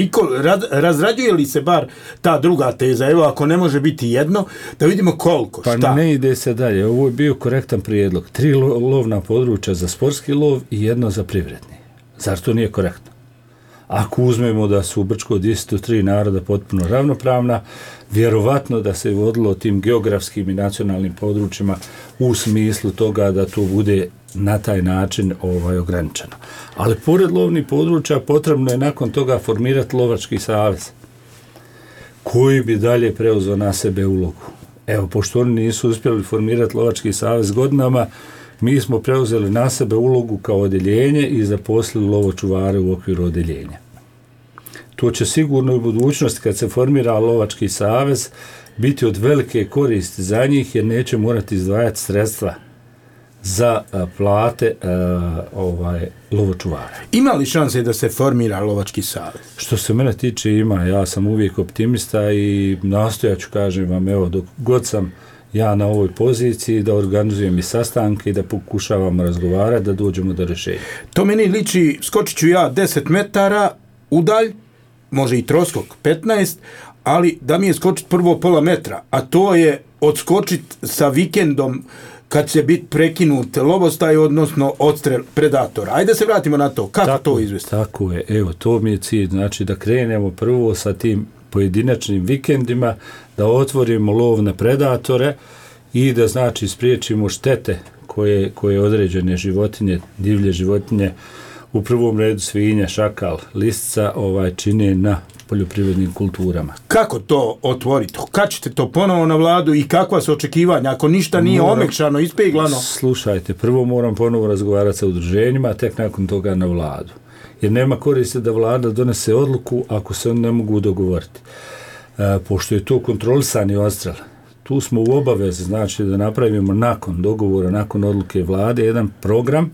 Razrađuje li se bar ta druga teza? Evo, ako ne može biti jedno, da vidimo koliko, šta? Pa ne ide se dalje. Ovo je bio korektan prijedlog. 3 lovna područja za sportski lov i jedno za privredni. Zar to nije korektno? Ako uzmemo da su u Brčkom distriktu 3 naroda potpuno ravnopravna, vjerovatno da se vodilo tim geografskim i nacionalnim područjima u smislu toga da to bude na taj način ograničeno. Ali pored lovnih područja potrebno je nakon toga formirati lovački savez koji bi dalje preuzeo na sebe ulogu. Evo, pošto oni nisu uspjeli formirati lovački savez godinama, mi smo preuzeli na sebe ulogu kao odjeljenje i zaposlili lovočuvare u okviru odjeljenja. To će sigurno u budućnosti, kad se formira lovački savez, biti od velike koristi za njih, jer neće morati izdvajati sredstva za plate lovočuvara. Ima li šanse da se formira lovački savez? Što se mene tiče ima, ja sam uvijek optimista i nastojat ću, kažem vam, evo, dok god sam ja na ovoj poziciji, da organizujem i sastanke i da pokušavamo razgovarati, da dođemo do rješenja. To meni liči, skočit ću ja 10 metara udalj, može i troskok 15, ali da mi je skočiti prvo pola metra, a to je odskočiti sa vikendom kad će biti prekinut lovostaj, odnosno odstrel predatora. Ajde se vratimo na to. Kako to izvesti? Tako je. Evo, to mi je cilj. Znači da krenemo prvo sa tim pojedinačnim vikendima, da otvorimo lov na predatore i da znači spriječimo štete koje određene životinje, divlje životinje, u prvom redu svinja, šakal, listica čine na poljoprivrednim kulturama. Kako to otvoriti? Kad ćete to ponovo na vladu i kakva su očekivanja? Ako ništa nije omekšano, ispeglano? Slušajte, prvo moram ponovo razgovarati sa udruženjima, a tek nakon toga na vladu. Jer nema koristi da vlada donese odluku ako se oni ne mogu dogovoriti. Pošto je to kontrolisani odstrel, tu smo u obavezi, znači da napravimo nakon dogovora, nakon odluke vlade, jedan program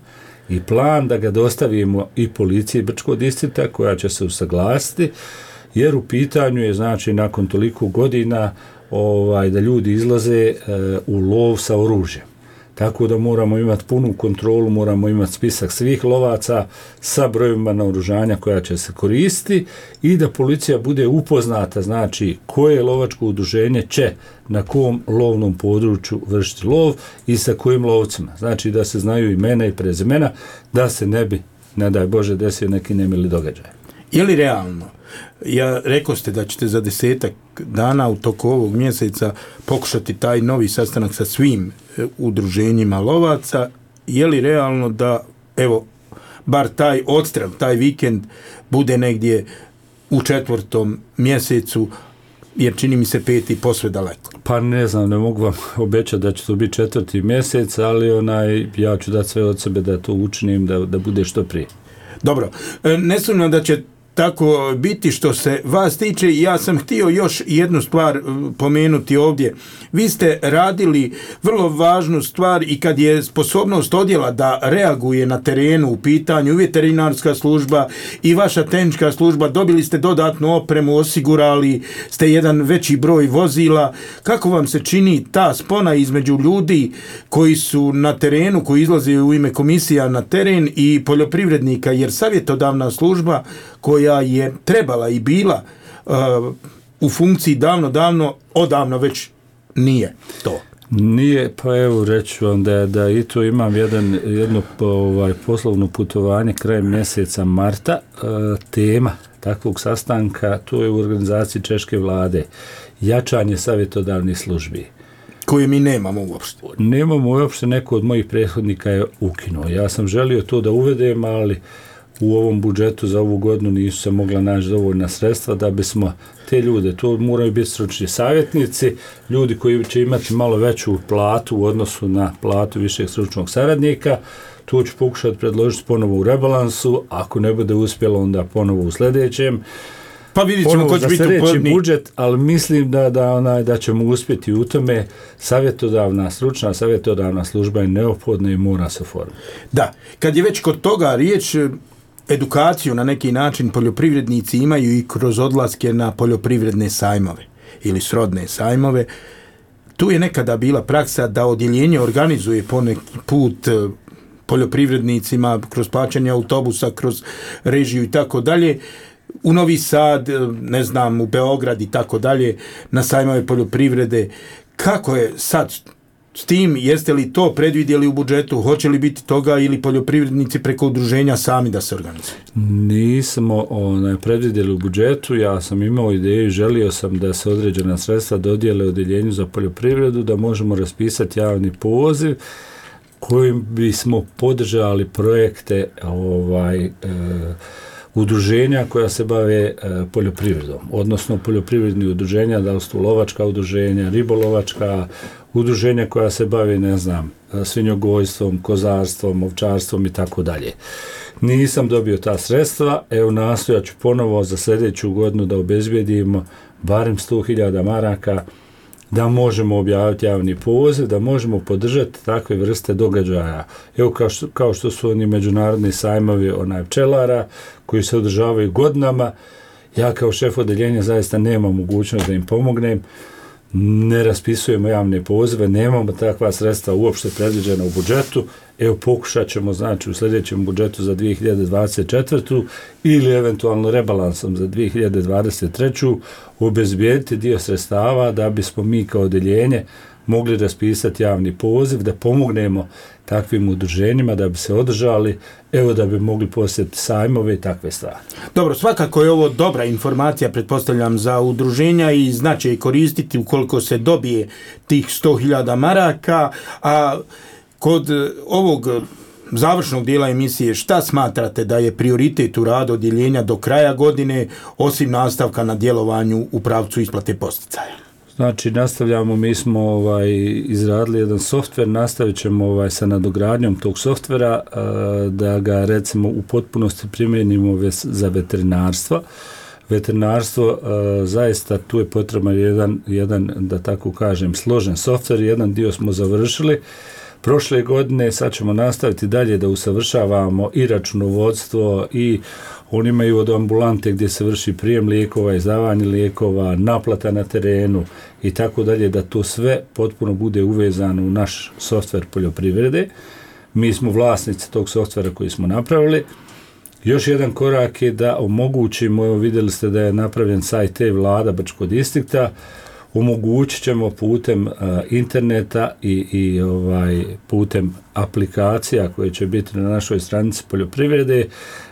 i plan da ga dostavimo i policiji Brčkog distrikta koja će se usaglasiti, jer u pitanju je, znači, nakon toliko godina da ljudi izlaze u lov sa oružjem. Tako da moramo imati punu kontrolu, moramo imati spisak svih lovaca sa brojevima naoružanja koja će se koristiti i da policija bude upoznata, znači, koje lovačko udruženje će na kom lovnom području vršiti lov i sa kojim lovcima. Znači da se znaju imena i prezimena, da se ne bi, ne daj Bože, desio neki nemili događaj. Je li realno? Rekao ste da ćete za 10 dana u toku ovog mjeseca pokušati taj novi sastanak sa svim udruženjima lovaca. Je li realno da, evo, bar taj odstrel, taj vikend bude negdje u 4. mjesecu, jer čini mi se 5. posve daleko? Pa ne znam, ne mogu vam obećati da će to biti 4. mjesec, ali ja ću dati sve od sebe da to učinim, da bude što prije. Dobro, ne sumnjam da će tako biti što se vas tiče. Ja sam htio još jednu stvar pomenuti ovdje. Vi ste radili vrlo važnu stvar i kad je sposobnost odjela da reaguje na terenu u pitanju i veterinarska služba i vaša tehnička služba, dobili ste dodatnu opremu, osigurali ste jedan veći broj vozila. Kako vam se čini ta spona između ljudi koji su na terenu, koji izlaze u ime komisija na teren i poljoprivrednika, jer savjetodavna služba koja koja je trebala i bila u funkciji odavno već nije to. Nije, pa evo reću vam da i tu imam jedno poslovno putovanje krajem mjeseca marta. Tema takvog sastanka, to je u organizaciji češke vlade, jačanje savjetodavnih službi. Koje mi nemamo uopšte. Nemamo uopšte, neko od mojih prethodnika je ukinuo. Ja sam želio to da uvedem, ali u ovom budžetu za ovu godinu nisu se mogla naći dovoljna sredstva da bismo te ljude, to moraju biti stručni savjetnici, ljudi koji će imati malo veću platu u odnosu na platu višeg stručnog saradnika. To ću pokušati predložiti ponovo u rebalansu, ako ne bude uspjelo onda ponovo u sljedećem. Pa vidjet ćemo ko će biti uporni budžet, ali mislim da ćemo uspjeti u tome. Stručna savjetodavna služba je neophodna i mora se oformiti. Da, kad je već kod toga riječ, edukaciju na neki način poljoprivrednici imaju i kroz odlaske na poljoprivredne sajmove ili srodne sajmove. Tu je nekada bila praksa da odjeljenje organizuje poneki put poljoprivrednicima kroz plaćanje autobusa, kroz režiju i tako dalje, u Novi Sad, ne znam, u Beograd i tako dalje, na sajmove poljoprivrede. Kako je sad s tim? Jeste li to predvidjeli u budžetu? Hoće li biti toga ili poljoprivrednici preko udruženja sami da se organizuju? Nismo predvidjeli u budžetu. Ja sam imao ideju i želio sam da se određena sredstva dodijele odjeljenju za poljoprivredu, da možemo raspisati javni poziv kojim bismo podržali projekte udruženja koja se bave poljoprivredom, odnosno poljoprivredni udruženja, da li su lovačka udruženja, ribolovačka udruženja koja se bave, ne znam, svinjogojstvom, kozarstvom, ovčarstvom i tako dalje. Nisam dobio ta sredstva, evo nastojat ću ponovo za sljedeću godinu da obezbijedimo barem 100.000 maraka da možemo objaviti javni poziv, da možemo podržati takve vrste događaja. Evo kao što su oni međunarodni sajmovi pčelara koji se održavaju godinama. Ja kao šef odeljenja zaista nemam mogućnost da im pomognem. Ne raspisujemo javne pozive, nemamo takva sredstva uopšte predviđena u budžetu. Evo pokušat ćemo u sljedećem budžetu za 2024. ili eventualno rebalansom za 2023. obezbijediti dio sredstava da bismo mi kao odeljenje mogli raspisati javni poziv, da pomognemo takvim udruženjima da bi se održali, evo da bi mogli posjetiti sajmove i takve stvari. Dobro, svakako je ovo dobra informacija, pretpostavljam, za udruženja i znače je koristiti ukoliko se dobije tih 100.000 maraka, a kod ovog završnog dijela emisije, šta smatrate da je prioritet u radu odjeljenja do kraja godine, osim nastavka na djelovanju u pravcu isplate posticaja? Znači, nastavljamo, mi smo izradili jedan softver, nastavit ćemo sa nadogradnjom tog softvera, da ga recimo u potpunosti primijenimo za veterinarstvo. Veterinarstvo, zaista tu je potreban jedan, da tako kažem, složen softver, jedan dio smo završili. Prošle godine, sad ćemo nastaviti dalje da usavršavamo i računovodstvo i oni imaju od ambulante gdje se vrši prijem lijekova, izdavanje lijekova, naplata na terenu i tako dalje, da to sve potpuno bude uvezano u naš softver poljoprivrede. Mi smo vlasnici tog softvera koji smo napravili. Još jedan korak je da omogućimo, evo vidjeli ste da je napravljen sajt Vlada Brčkog distrikta, omogućit ćemo putem interneta i putem aplikacija koje će biti na našoj stranici poljoprivrede,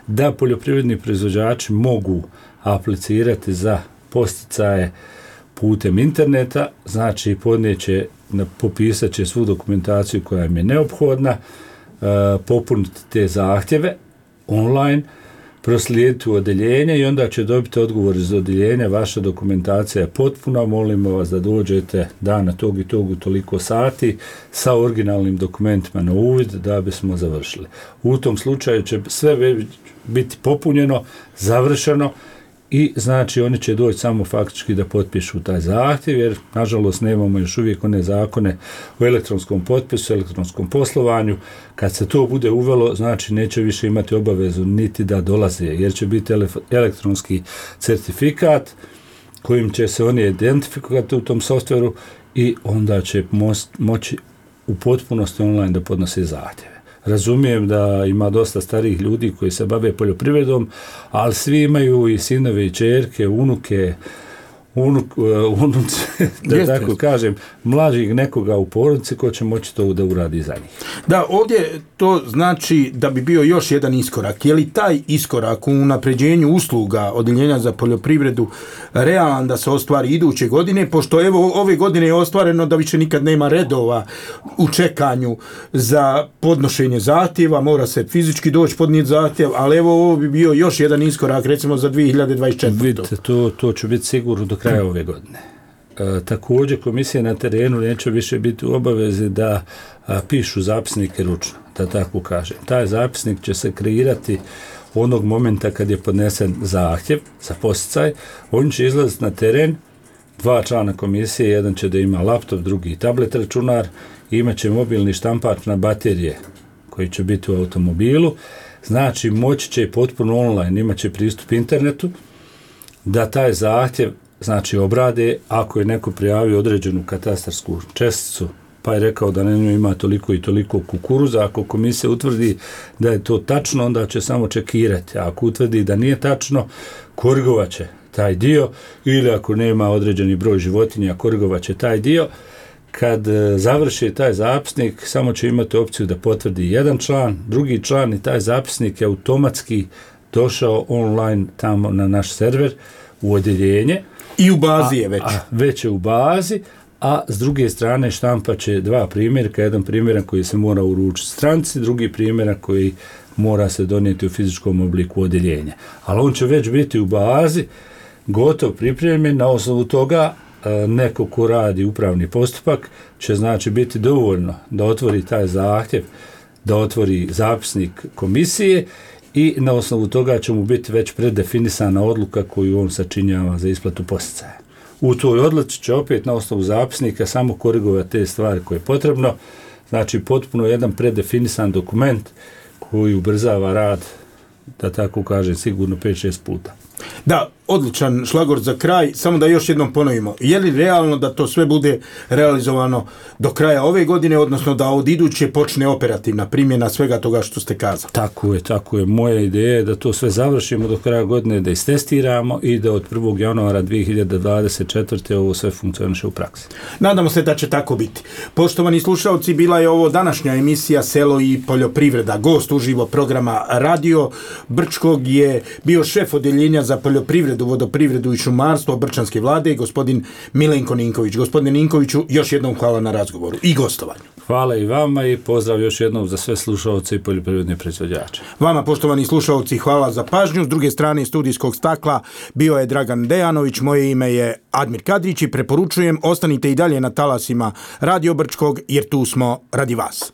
da poljoprivredni proizvođači mogu aplicirati za posticaje putem interneta, znači popisat će svu dokumentaciju koja im je neophodna, popuniti te zahtjeve online, proslijediti u odeljenje i onda će dobiti odgovor iz odeljenja, vaša dokumentacija je potpuna, molimo vas da dođete dana tog i tog u toliko sati sa originalnim dokumentima na uvid da bismo završili. U tom slučaju će sve biti popunjeno, završeno i znači oni će doći samo faktički da potpišu taj zahtjev, jer nažalost nemamo još uvijek one zakone o elektronskom potpisu, elektronskom poslovanju. Kad se to bude uvelo, znači neće više imati obavezu niti da dolaze, jer će biti elektronski certifikat kojim će se oni identifikovati u tom softveru i onda će moći u potpunosti online da podnose zahtjeve. Razumijem da ima dosta starih ljudi koji se bave poljoprivredom, ali svi imaju i sinove i ćerke, unuke, da tako kažem, mlađih nekoga u porodici ko će moći to da uradi za njih. Da, ovdje to znači da bi bio još jedan iskorak. Je li taj iskorak u unapređenju usluga Odjeljenja za poljoprivredu realan da se ostvari iduće godine, pošto evo ove godine je ostvareno da više nikad nema redova u čekanju za podnošenje zahtjeva, mora se fizički doći podnijeti zahtjev, ali evo ovo bi bio još jedan iskorak recimo za 2024. Vidite, to će biti sigurno do kraja ove godine. Također komisije na terenu neće više biti u obavezi da pišu zapisnike ručno, da tako kažem. Taj zapisnik će se kreirati onog momenta kad je podnesen zahtjev za podsticaj. On će izlaziti na teren, 2 člana komisije, jedan će da ima laptop, drugi tablet računar, imat će mobilni štampač na baterije koji će biti u automobilu. Znači moći će potpuno online, imat će pristup internetu, da taj zahtjev znači obrade ako je neko prijavio određenu katastarsku česticu, pa je rekao da na njoj ima toliko i toliko kukuruza, ako komisija utvrdi da je to tačno, onda će samo čekirati, a ako utvrdi da nije tačno, korigovat će taj dio, ili ako nema određeni broj životinja, korigovat će taj dio. Kad završi taj zapisnik, samo će imati opciju da potvrdi jedan član, drugi član, i taj zapisnik je automatski došao online tamo na naš server u odjeljenje. I u bazi je već. Već je u bazi, a s druge strane štampa će 2 primjerka, jedan primjerak koji se mora uručiti stranci, drugi primjerak koji mora se donijeti u fizičkom obliku odjeljenja. Ali on će već biti u bazi, gotov, pripremljen, na osnovu toga neko ko radi upravni postupak će znači biti dovoljno da otvori taj zahtjev, da otvori zapisnik komisije i na osnovu toga će mu biti već predefinisana odluka koju on sačinjava za isplatu podsticaja. U toj odluci će opet na osnovu zapisnika samo korigovati te stvari koje je potrebno, znači potpuno jedan predefinisan dokument koji ubrzava rad, da tako kažem, sigurno 5-6 puta. Da, odličan šlagvort za kraj, samo da još jednom ponovimo. Je li realno da to sve bude realizovano do kraja ove godine, odnosno da od iduće počne operativna primjena svega toga što ste kazali? Tako je. Moja ideja je da to sve završimo do kraja godine, da istestiramo i da od 1. januara 2024. ovo sve funkcioniše u praksi. Nadamo se da će tako biti. Poštovani slušalci, bila je ovo današnja emisija Selo i poljoprivreda. Gost uživo programa Radio Brčkog je bio šef Odjeljenja za poljoprivredu, vodoprivredu i šumarstvo Brčanske vlade, gospodin Milenko Ninković. Gospodine Ninkoviću, još jednom hvala na razgovoru i gostovanju. Hvala i vama i pozdrav još jednom za sve slušaoce i poljoprivredne proizvođače. Vama, poštovani slušaoci, hvala za pažnju. S druge strane studijskog stakla bio je Dragan Dejanović, moje ime je Admir Kadrić i preporučujem, ostanite i dalje na talasima Radio Brčkog jer tu smo radi vas.